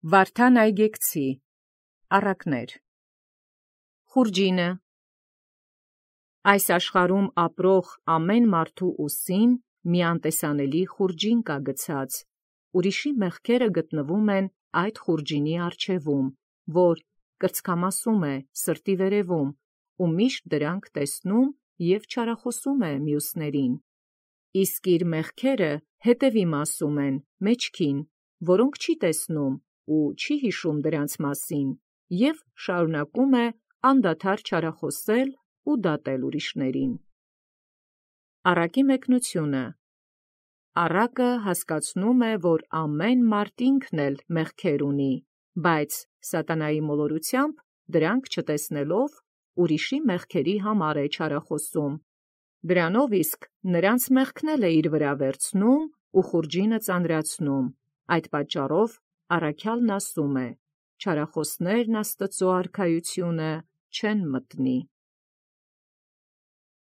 Վարդան Այգեկցի առակներ Խուրջինը այս աշխարհում ապրող ամեն մարդու ուսին մի անտեսանելի խուրջին կա գցած, ուրիշի մեղքերը գտնվում են այդ խուրջինի առջևում, որ կրծքամասում է սրտի վերևում, ու միշտ դրանք տեսնում և չարախոսում է մյուսներին, իսկ իր մեղքերը հետևի մասում են մեջքին, որոնք չի տեսնում ու չի հիշում դրանց մասին, և շարունակում է անդադար չարախոսել ու դատել ուրիշներին։ Առակի մեկնությունը առակը հասկացնում է, որ ամեն մարդ ինքն էլ մեղքեր ունի, բայց սատանայի մոլորությամբ դրանք չտեսնելով ուրիշի մեղքերի համար է չարախոսում, դրանով իսկ նրանց մեղքն էլ է իր վրա վերցնում ու խուրջինը ծանրացնում, այդ պատճառով առաքյալն ասում է. չարախոսներն Աստծու արքայությունը չեն մտնի։